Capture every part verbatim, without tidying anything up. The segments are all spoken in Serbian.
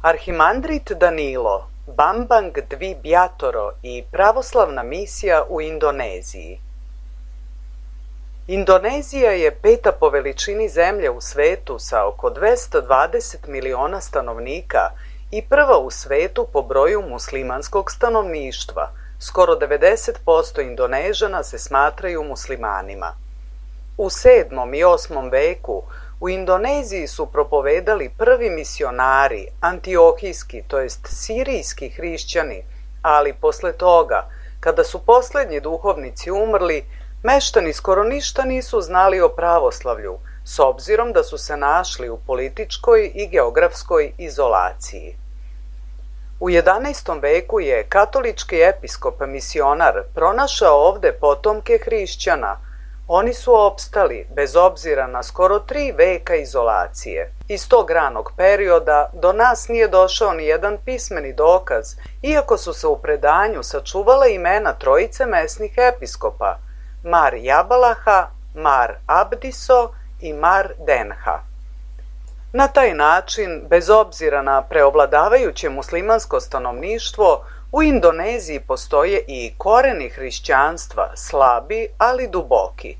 Arhimandrit Danilo, Bambang Dvibjatoro i pravoslavna misija u Indoneziji. Indonezija je peta po veličini zemlje u svetu sa oko dvesta dvadeset miliona stanovnika i prva u svetu po broju muslimanskog stanovništva. Skoro devedeset posto Indonežana se smatraju muslimanima. U sedmom i osmom veku u Indoneziji su propovedali prvi misionari, antiohijski, to jest sirijski hrišćani, ali posle toga, kada su poslednji duhovnici umrli, meštani skoro ništa nisu znali o pravoslavlju, s obzirom da su se našli u političkoj i geografskoj izolaciji. U jedanaestom veku je katolički episkop misionar pronašao ovde potomke hrišćana, Oni su opstali bez obzira na skoro tri veka izolacije. Iz tog ranog perioda do nas nije došao ni jedan pismeni dokaz, iako su se u predanju sačuvala imena trojice mesnih episkopa, Mar Jabalaha, Mar Abdiso i Mar Denha. Na taj način, bez obzira na preovladavajuće muslimansko stanovništvo, u Indoneziji postoje i koreni hrišćanstva, slabi, ali duboki.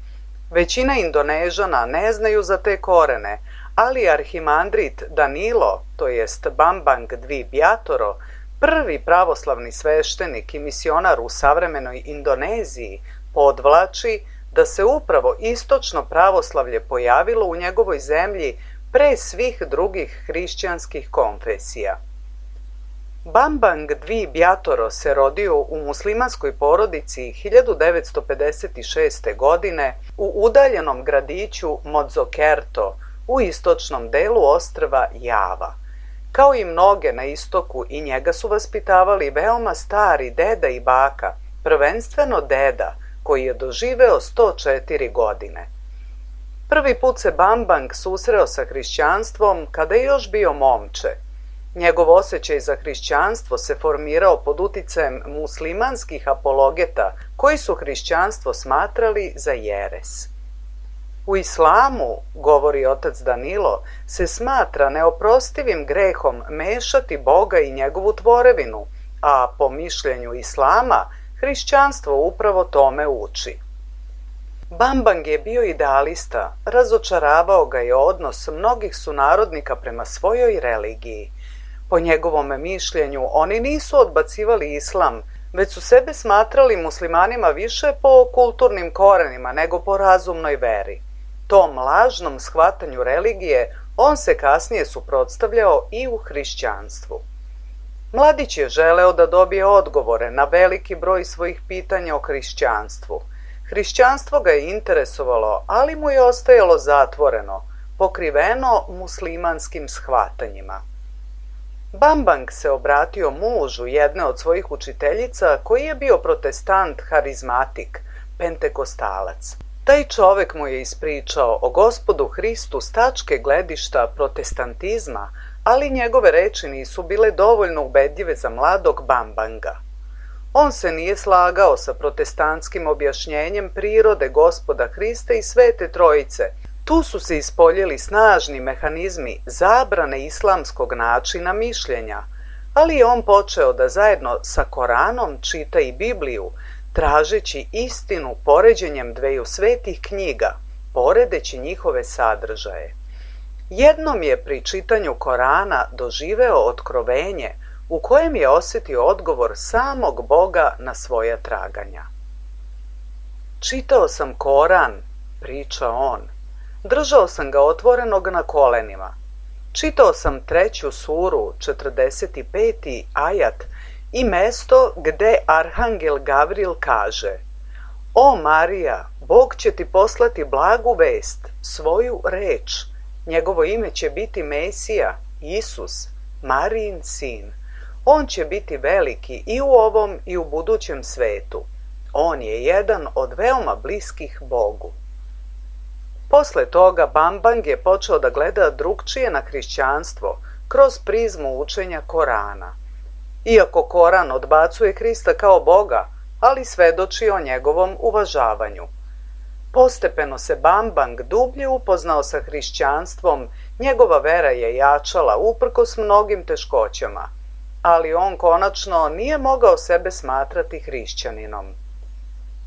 Većina Indonežana ne znaju za te korene, ali arhimandrit Danilo, to jest Bambang Dvi Bjatoro, prvi pravoslavni sveštenik i misionar u savremenoj Indoneziji, podvlači da se upravo istočno pravoslavlje pojavilo u njegovoj zemlji pre svih drugih hrišćanskih konfesija. Bambang Dvi Bjatoro se rodio u muslimanskoj porodici hiljadu devetsto pedeset šeste. godine u udaljenom gradiću Mojokerto u istočnom delu ostrva Java. Kao i mnoge na istoku, i njega su vaspitavali veoma stari deda i baka, prvenstveno deda, koji je doživeo sto četiri godine. Prvi put se Bambang susreo sa hrišćanstvom kada je još bio momče. Njegov osjećaj za hrišćanstvo se formirao pod uticajem muslimanskih apologeta koji su hrišćanstvo smatrali za jeres. U islamu, govori otac Danilo, se smatra neoprostivim grehom mešati Boga i njegovu tvorevinu, a po mišljenju islama hrišćanstvo upravo tome uči. Bambang je bio idealista, razočaravao ga je odnos mnogih sunarodnika prema svojoj religiji. Po njegovom mišljenju, oni nisu odbacivali islam, već su sebe smatrali muslimanima više po kulturnim korenima nego po razumnoj veri. Tom lažnom shvatanju religije on se kasnije suprotstavljao i u hrišćanstvu. Mladić je želeo da dobije odgovore na veliki broj svojih pitanja o hrišćanstvu. Hrišćanstvo ga je interesovalo, ali mu je ostajalo zatvoreno, pokriveno muslimanskim shvatanjima. Bambang se obratio mužu jedne od svojih učiteljica koji je bio protestant harizmatik, pentekostalac. Taj čovek mu je ispričao o Gospodu Hristu s tačke gledišta protestantizma, ali njegove reči nisu bile dovoljno ubedljive za mladog Bambanga. On se nije slagao sa protestantskim objašnjenjem prirode Gospoda Hrista i Svete Trojice. Tu su se ispoljili snažni mehanizmi zabrane islamskog načina mišljenja, ali je on počeo da zajedno sa Koranom čita i Bibliju, tražeći istinu poređenjem dveju svetih knjiga, poredeći njihove sadržaje. Jednom je pri čitanju Korana doživeo otkrovenje u kojem je osjetio odgovor samog Boga na svoja traganja. Čitao sam Koran, priča on. Držao sam ga otvorenog na kolenima. Čitao sam treću suru, četrdeset peti ajat, i mesto gde Arhangel Gavril kaže: O Marija, Bog će ti poslati blagu vest, svoju reč. Njegovo ime će biti Mesija, Isus, Marijin sin. On će biti veliki i u ovom i u budućem svetu. On je jedan od veoma bliskih Bogu. Posle toga Bambang je počeo da gleda drugčije na hrišćanstvo kroz prizmu učenja Korana. Iako Koran odbacuje Hrista kao Boga, ali svedoči o njegovom uvažavanju. Postepeno se Bambang dublje upoznao sa hrišćanstvom, njegova vera je jačala uprkos mnogim teškoćama, ali on konačno nije mogao sebe smatrati hrišćaninom.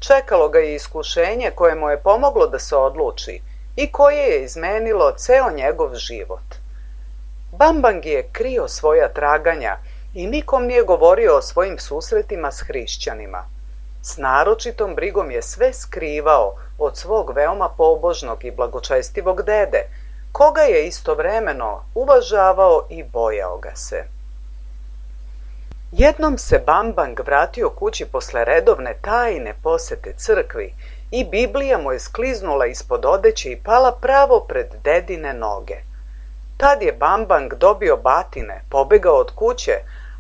Čekalo ga je iskušenje koje mu je pomoglo da se odluči i koje je izmenilo ceo njegov život. Bambang je krio svoja traganja i nikom nije govorio o svojim susretima s hrišćanima. S naročitom brigom je sve skrivao od svog veoma pobožnog i blagočestivog dede, koga je istovremeno uvažavao i bojao ga se. Jednom se Bambang vratio kući posle redovne tajne posete crkvi i Biblija mu je skliznula ispod odeće i pala pravo pred dedine noge. Tad je Bambang dobio batine, pobegao od kuće,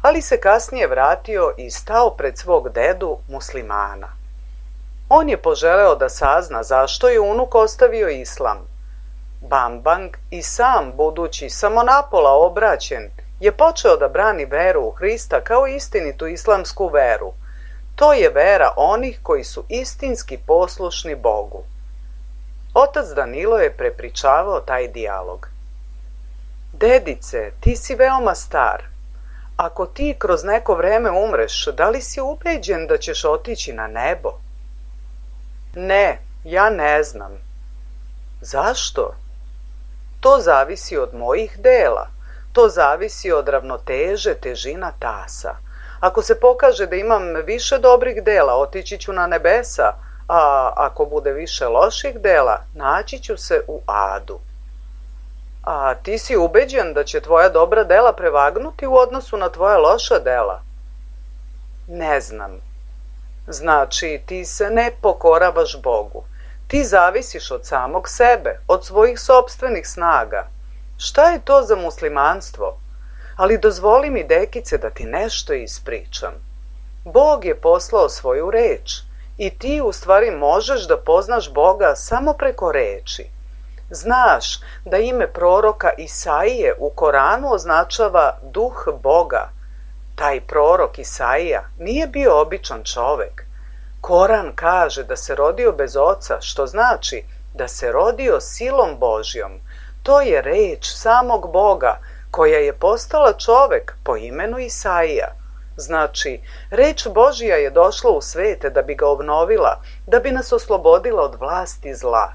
ali se kasnije vratio i stao pred svog dedu muslimana. On je poželeo da sazna zašto je unuk ostavio islam. Bambang i sam, budući samo napola obraćen, je počeo da brani veru u Hrista kao istinitu islamsku veru. To je vera onih koji su istinski poslušni Bogu. Otac Danilo je prepričavao taj dijalog. Dedice, ti si veoma star. Ako ti kroz neko vreme umreš, da li si ubeđen da ćeš otići na nebo? Ne, ja ne znam. Zašto? To zavisi od mojih dela. To zavisi od ravnoteže težina tasa. Ako se pokaže da imam više dobrih dela, otići ću na nebesa, a ako bude više loših dela, naći ću se u adu. A ti si ubeđen da će tvoja dobra dela prevagnuti u odnosu na tvoja loša dela? Ne znam. Znači, ti se ne pokoravaš Bogu. Ti zavisiš od samog sebe, od svojih sopstvenih snaga. Šta je to za muslimanstvo? Ali dozvoli mi, dekice, da ti nešto ispričam. Bog je poslao svoju reč i ti u stvari možeš da poznaš Boga samo preko reči. Znaš da ime proroka Isaije u Koranu označava duh Boga. Taj prorok Isaija nije bio običan čovek. Koran kaže da se rodio bez oca, što znači da se rodio silom Božjom. To je reč samog Boga koja je postala čovek po imenu Isaija. Znači, reč Božja je došla u svete da bi ga obnovila, da bi nas oslobodila od vlasti zla.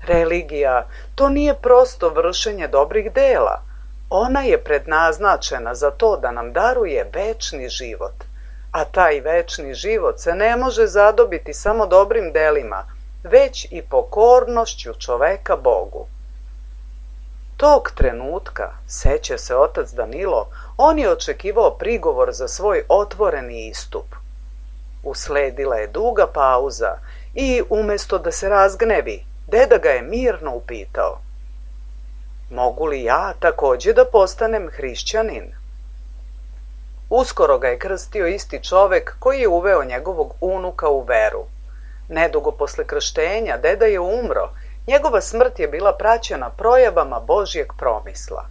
Religija, to nije prosto vršenje dobrih dela. Ona je prednaznačena za to da nam daruje večni život. A taj večni život se ne može zadobiti samo dobrim delima, već i pokornošću čoveka Bogu. Tog trenutka, seća se otac Danilo, on je očekivao prigovor za svoj otvoreni istup. Usledila je duga pauza i, umesto da se razgnevi, deda ga je mirno upitao: mogu li ja takođe da postanem hrišćanin? Uskoro ga je krstio isti čovek koji je uveo njegovog unuka u veru. Nedugo posle krštenja deda je umro. Njegova smrt je bila praćena projavama Božjeg promisla.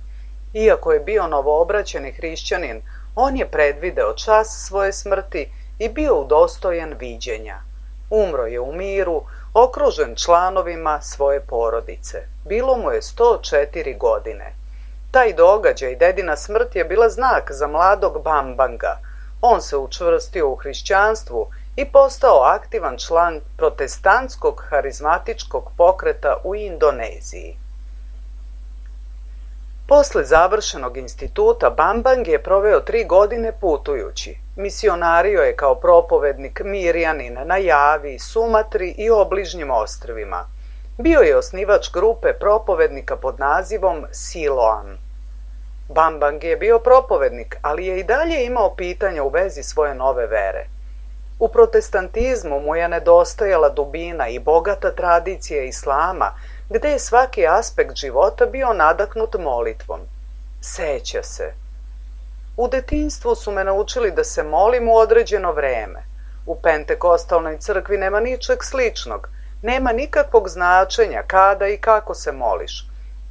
Iako je bio novoobraćeni hrišćanin, on je predvideo čas svoje smrti i bio udostojen viđenja. Umro je u miru, okružen članovima svoje porodice. Bilo mu je sto četiri godine. Taj događaj, dedina smrt, je bila znak za mladog Bambanga. On se učvrstio u hrišćanstvu i postao aktivan član protestantskog harizmatičkog pokreta u Indoneziji. Posle završenog instituta Bambang je proveo tri godine putujući. Misionario je kao propovednik Mirjanin na Javi, Sumatri i obližnjim ostrvima. Bio je osnivač grupe propovednika pod nazivom Siloam. Bambang je bio propovednik, ali je i dalje imao pitanja u vezi svoje nove vere. U protestantizmu mu je nedostajala dubina i bogata tradicija islama, gde je svaki aspekt života bio nadahnut molitvom. Seća se: u detinjstvu su me naučili da se molim u određeno vreme. U pentekostalnoj crkvi nema ničeg sličnog, nema nikakvog značenja kada i kako se moliš.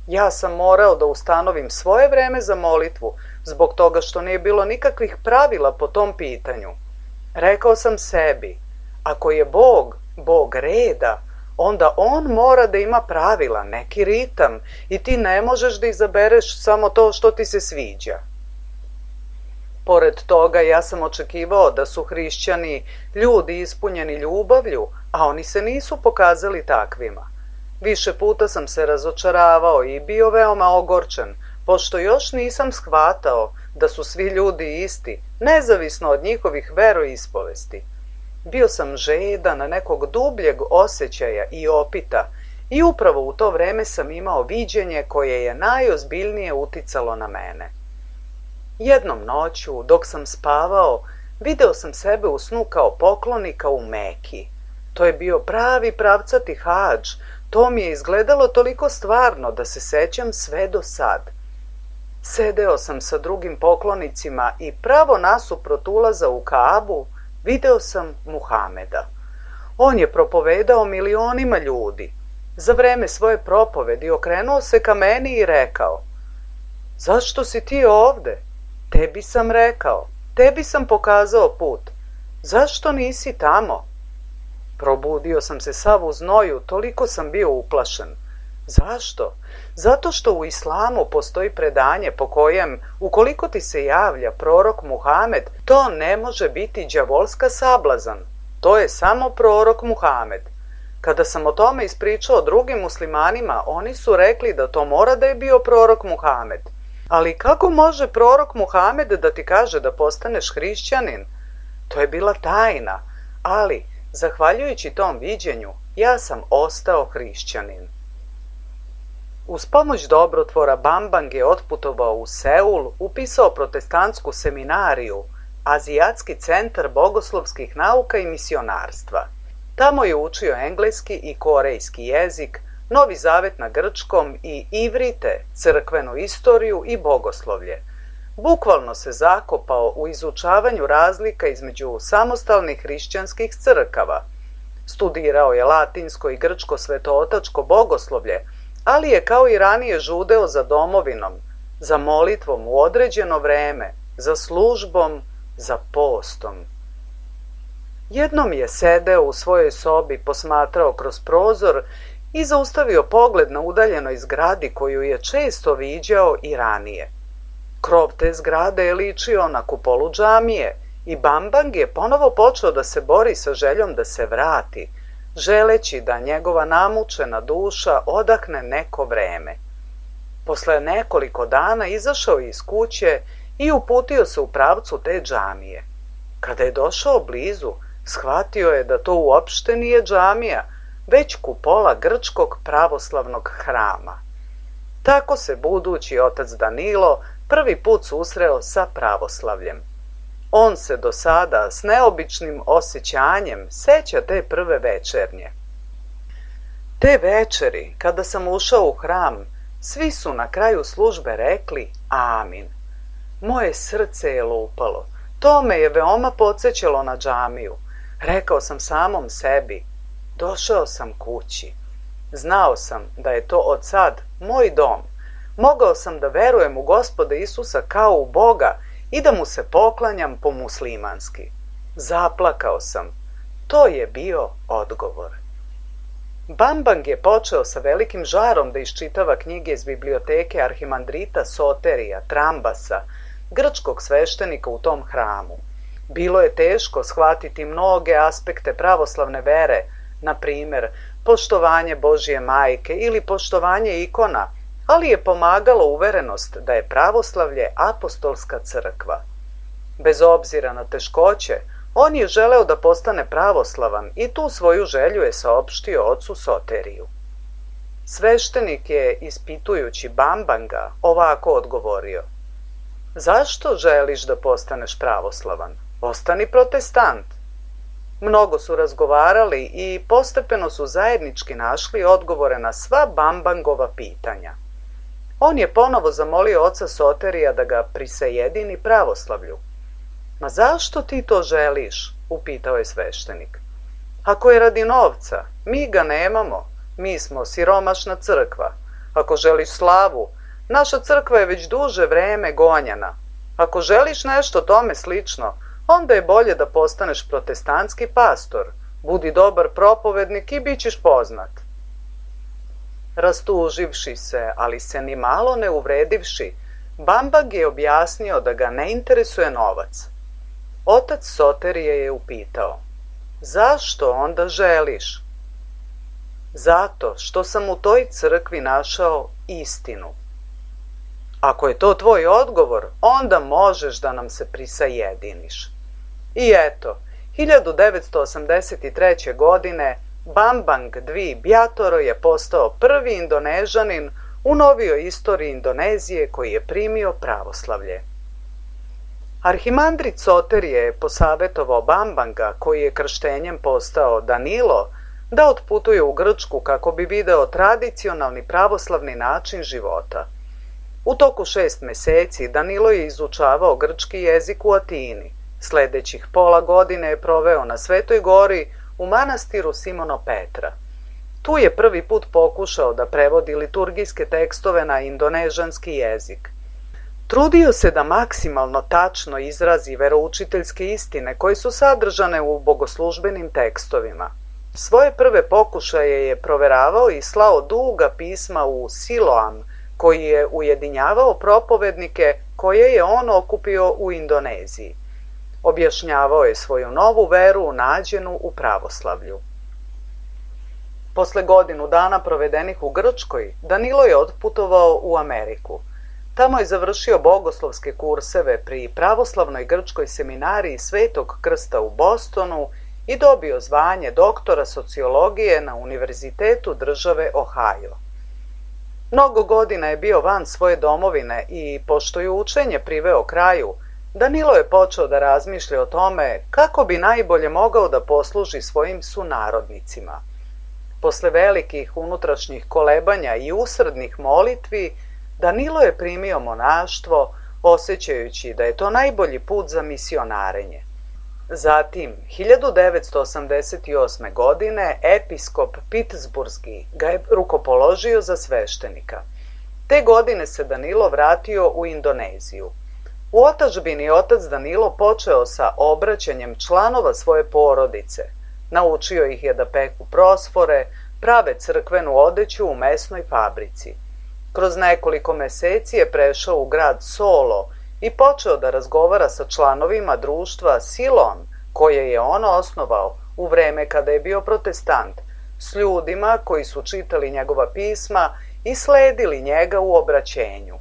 Ja sam morao da ustanovim svoje vreme za molitvu, zbog toga što nije bilo nikakvih pravila po tom pitanju. Rekao sam sebi: ako je Bog, Bog reda, onda on mora da ima pravila, neki ritam, i ti ne možeš da izabereš samo to što ti se sviđa. Pored toga, ja sam očekivao da su hrišćani ljudi ispunjeni ljubavlju, a oni se nisu pokazali takvima. Više puta sam se razočaravao i bio veoma ogorčen, pošto još nisam shvatao da su svi ljudi isti, nezavisno od njihovih veroispovesti. Bio sam žedan nekog dubljeg osjećaja i opita i upravo u to vreme sam imao viđenje koje je najozbiljnije uticalo na mene. Jednom noću, dok sam spavao, video sam sebe u snu kao poklonika u Meki. To je bio pravi pravcati hadž. To mi je izgledalo toliko stvarno da se sećam sve do sad. Sedeo sam sa drugim poklonicima i pravo nasuprot ulaza u Kaabu video sam Muhameda. On je propovedao milionima ljudi. Za vreme svoje propovedi okrenuo se ka meni i rekao: zašto si ti ovde? Tebi sam rekao, tebi sam pokazao put. Zašto nisi tamo? Probudio sam se sav u znoju, toliko sam bio uplašen. Zašto? Zato što u islamu postoji predanje po kojem, ukoliko ti se javlja prorok Muhamed, to ne može biti đavolska sablazan. To je samo prorok Muhamed. Kada sam o tome ispričao drugim muslimanima, oni su rekli da to mora da je bio prorok Muhamed. Ali kako može prorok Muhamed da ti kaže da postaneš hrišćanin? To je bila tajna, ali, zahvaljujući tom viđenju, ja sam ostao hrišćanin. Uz pomoć dobrotvora Bambang je otputovao u Seul, upisao protestantsku seminariju, Azijatski centar bogoslovskih nauka i misionarstva. Tamo je učio engleski i korejski jezik, Novi Zavet na grčkom i ivrite, crkvenu istoriju i bogoslovlje. Bukvalno se zakopao u izučavanju razlika između samostalnih hrišćanskih crkava. Studirao je latinsko i grčko svetootačko bogoslovlje, ali je kao i ranije žudeo za domovinom, za molitvom u određeno vreme, za službom, za postom. Jednom je sedeo u svojoj sobi, posmatrao kroz prozor i zaustavio pogled na udaljenoj zgradi koju je često viđao i ranije. Krov te zgrade je ličio na kupolu džamije i Bambang je ponovo počeo da se bori sa željom da se vrati, želeći da njegova namučena duša odahne neko vreme. Posle nekoliko dana izašao je iz kuće i uputio se u pravcu te džamije. Kada je došao blizu, shvatio je da to uopšte nije džamija, već kupola grčkog pravoslavnog hrama. Tako se budući otac Danilo prvi put susreo sa pravoslavljem. On se do sada s neobičnim osjećanjem seća te prve večernje. Te večeri, kada sam ušao u hram, svi su na kraju službe rekli amin. Moje srce je lupalo. To me je veoma podsjećalo na džamiju. Rekao sam samom sebi, došao sam kući. Znao sam da je to od sad moj dom. Mogao sam da verujem u Gospoda Isusa kao u Boga i da mu se poklanjam po muslimanski. Zaplakao sam. To je bio odgovor. Bambang je počeo sa velikim žarom da iščitava knjige iz biblioteke arhimandrita Soterija, Trambasa, grčkog sveštenika u tom hramu. Bilo je teško shvatiti mnoge aspekte pravoslavne vere, na primer, poštovanje Božje majke ili poštovanje ikona, ali je pomagalo uverenost da je pravoslavlje apostolska crkva. Bez obzira na teškoće, on je želeo da postane pravoslavan i tu svoju želju je saopštio ocu Soteriju. Sveštenik je, ispitujući Bambanga, ovako odgovorio: zašto želiš da postaneš pravoslavan? Ostani protestant. Mnogo su razgovarali i postepeno su zajednički našli odgovore na sva Bambangova pitanja. On je ponovo zamolio oca Soterija da ga prisajedini pravoslavlju. Ma zašto ti to želiš? Upitao je sveštenik. Ako je radi novca, mi ga nemamo, mi smo siromašna crkva. Ako želiš slavu, naša crkva je već duže vreme gonjana. Ako želiš nešto tome slično, onda je bolje da postaneš protestantski pastor. Budi dobar propovednik i bit ćeš poznat. Rastuživši se, ali se ni malo ne uvredivši, Bambang je objasnio da ga ne interesuje novac. Otac Soterije je upitao: zašto onda želiš? Zato što sam u toj crkvi našao istinu. Ako je to tvoj odgovor, onda možeš da nam se prisajediniš. I eto, hiljadu devetsto osamdeset treće. godine Bambang Dvi Bjatoro je postao prvi Indonežanin u novijoj istoriji Indonezije koji je primio pravoslavlje. Arhimandrit Soterije je posavetovao Bambanga, koji je krštenjem postao Danilo, da otputuje u Grčku kako bi video tradicionalni pravoslavni način života. U toku šest meseci Danilo je izučavao grčki jezik u Atini. Sledećih pola godine je proveo na Svetoj gori u manastiru Simono Petra. Tu je prvi put pokušao da prevodi liturgijske tekstove na indonežanski jezik. Trudio se da maksimalno tačno izrazi veroučiteljske istine koje su sadržane u bogoslužbenim tekstovima. Svoje prve pokušaje je proveravao i slao duga pisma u Siloam, koji je ujedinjavao propovednike koje je on okupio u Indoneziji. Objašnjavao je svoju novu veru nađenu u pravoslavlju. Posle godinu dana provedenih u Grčkoj, Danilo je otputovao u Ameriku. Tamo je završio bogoslovske kurseve pri pravoslavnoj grčkoj seminariji Svetog Krsta u Bostonu i dobio zvanje doktora sociologije na Univerzitetu države Ohio. Mnogo godina je bio van svoje domovine i, pošto je učenje priveo kraju, Danilo je počeo da razmišlja o tome kako bi najbolje mogao da posluži svojim sunarodnicima. Posle velikih unutrašnjih kolebanja i usrdnih molitvi, Danilo je primio monaštvo, osjećajući da je to najbolji put za misionarenje. Zatim, hiljadu devetsto osamdeset osme. godine, episkop Pittsburgski ga je rukopoložio za sveštenika. Te godine se Danilo vratio u Indoneziju. U otadžbini otac Danilo počeo sa obraćanjem članova svoje porodice. Naučio ih je da peku prosfore, prave crkvenu odeću u mesnoj fabrici. Kroz nekoliko meseci je prešao u grad Solo i počeo da razgovara sa članovima društva Silon, koje je on osnovao u vreme kada je bio protestant, s ljudima koji su čitali njegova pisma i sledili njega u obraćenju.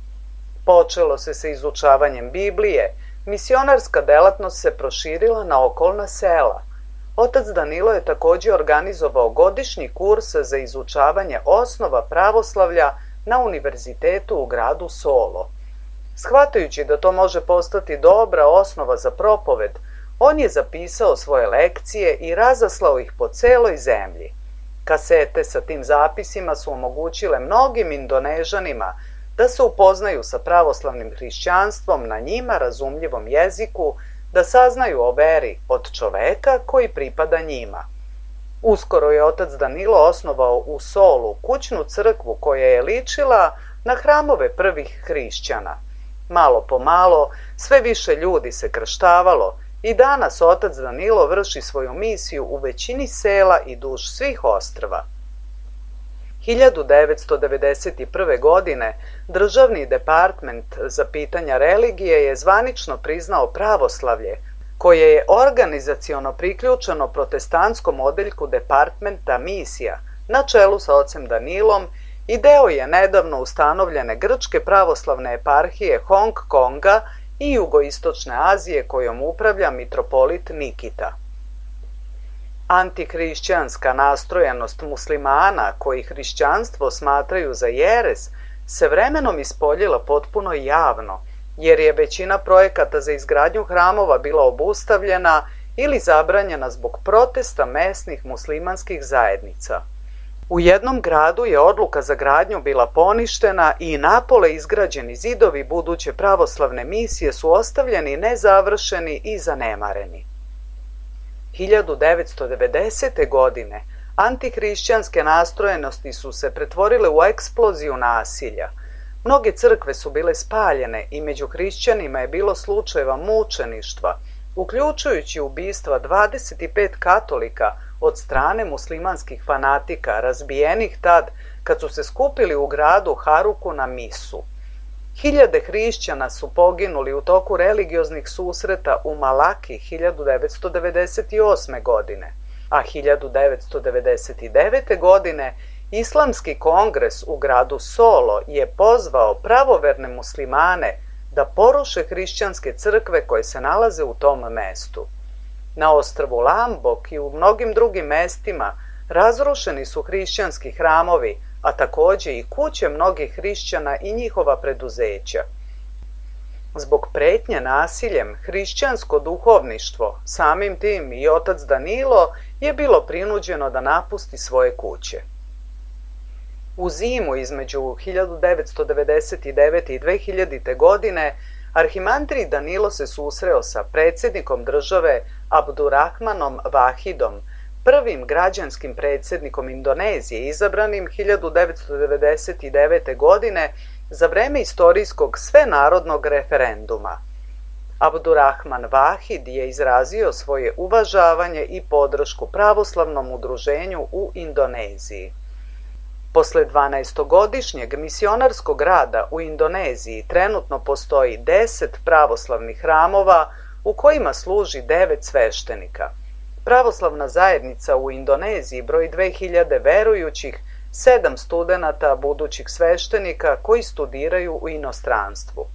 Počelo se sa izučavanjem Biblije, misionarska delatnost se proširila na okolna sela. Otac Danilo je takođe organizovao godišnji kurs za izučavanje osnova pravoslavlja na univerzitetu u gradu Solo. Shvatajući da to može postati dobra osnova za propoved, on je zapisao svoje lekcije i razaslao ih po celoj zemlji. Kasete sa tim zapisima su omogućile mnogim Indonežanima da se upoznaju sa pravoslavnim hrišćanstvom na njima razumljivom jeziku, da saznaju o veri od čoveka koji pripada njima. Uskoro je otac Danilo osnovao u Solu kućnu crkvu koja je ličila na hramove prvih hrišćana. Malo po malo sve više ljudi se krštavalo i danas otac Danilo vrši svoju misiju u većini sela i duž svih ostrva. hiljadu devetsto devedeset prve. godine Državni department za pitanja religije je zvanično priznao pravoslavlje, koje je organizaciono priključeno protestantskom odeljku departmenta misija na čelu sa ocem Danilom i deo je nedavno ustanovljene grčke pravoslavne eparhije Hong Konga i jugoistočne Azije kojom upravlja mitropolit Nikita. Antihrišćanska nastrojenost muslimana koji hrišćanstvo smatraju za jeres se vremenom ispoljila potpuno javno, jer je većina projekata za izgradnju hramova bila obustavljena ili zabranjena zbog protesta mesnih muslimanskih zajednica. U jednom gradu je odluka za gradnju bila poništena i napole izgrađeni zidovi buduće pravoslavne misije su ostavljeni nezavršeni i zanemareni. hiljadu devetsto devedesete. godine antihrišćanske nastrojenosti su se pretvorile u eksploziju nasilja. Mnoge crkve su bile spaljene i među hrišćanima je bilo slučajeva mučeništva, uključujući ubistva dvadeset pet katolika od strane muslimanskih fanatika, razbijenih tad kad su se skupili u gradu Haruku na misu. Hiljade hrišćana su poginuli u toku religioznih susreta u Malaki hiljadu devetsto devedeset osme. godine, a hiljadu devetsto devedeset devete. godine Islamski kongres u gradu Solo je pozvao pravoverne muslimane da poruše hrišćanske crkve koje se nalaze u tom mestu. Na ostrvu Lombok i u mnogim drugim mestima razrušeni su hrišćanski hramovi, a takođe i kuće mnogih hrišćana i njihova preduzeća. Zbog pretnje nasiljem, hrišćansko duhovništvo, samim tim i otac Danilo, je bilo prinuđeno da napusti svoje kuće. U zimu između hiljadu devetsto devedeset devete. i dve hiljadite. godine arhimandrij Danilo se susreo sa predsjednikom države Abdurrahmanom Vahidom, prvim građanskim predsjednikom Indonezije izabranim hiljadu devetsto devedeset devete. godine za vreme istorijskog svenarodnog referenduma. Abdurrahman Vahid je izrazio svoje uvažavanje i podršku pravoslavnom udruženju u Indoneziji. Posle dvanaestogodišnjeg misionarskog rada u Indoneziji trenutno postoji deset pravoslavnih hramova u kojima služi devet sveštenika. Pravoslavna zajednica u Indoneziji broji dve hiljade verujućih, sedam studenata budućih sveštenika koji studiraju u inostranstvu.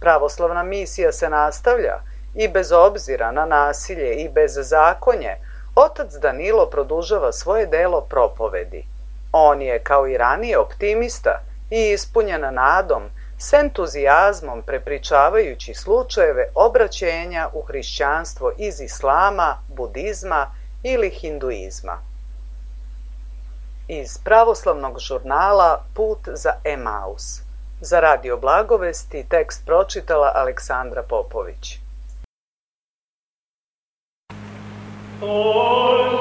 Pravoslavna misija se nastavlja i bez obzira na nasilje i bezzakonje, otac Danilo produžava svoje delo propovedi. On je, kao i ranije, optimista i ispunjen nadom, s entuzijazmom prepričavajući slučajeve obraćenja u hrišćanstvo iz islama, budizma ili hinduizma. Iz pravoslavnog žurnala Put za Emaus. Za Radio Blagovesti tekst pročitala Aleksandra Popović. Oh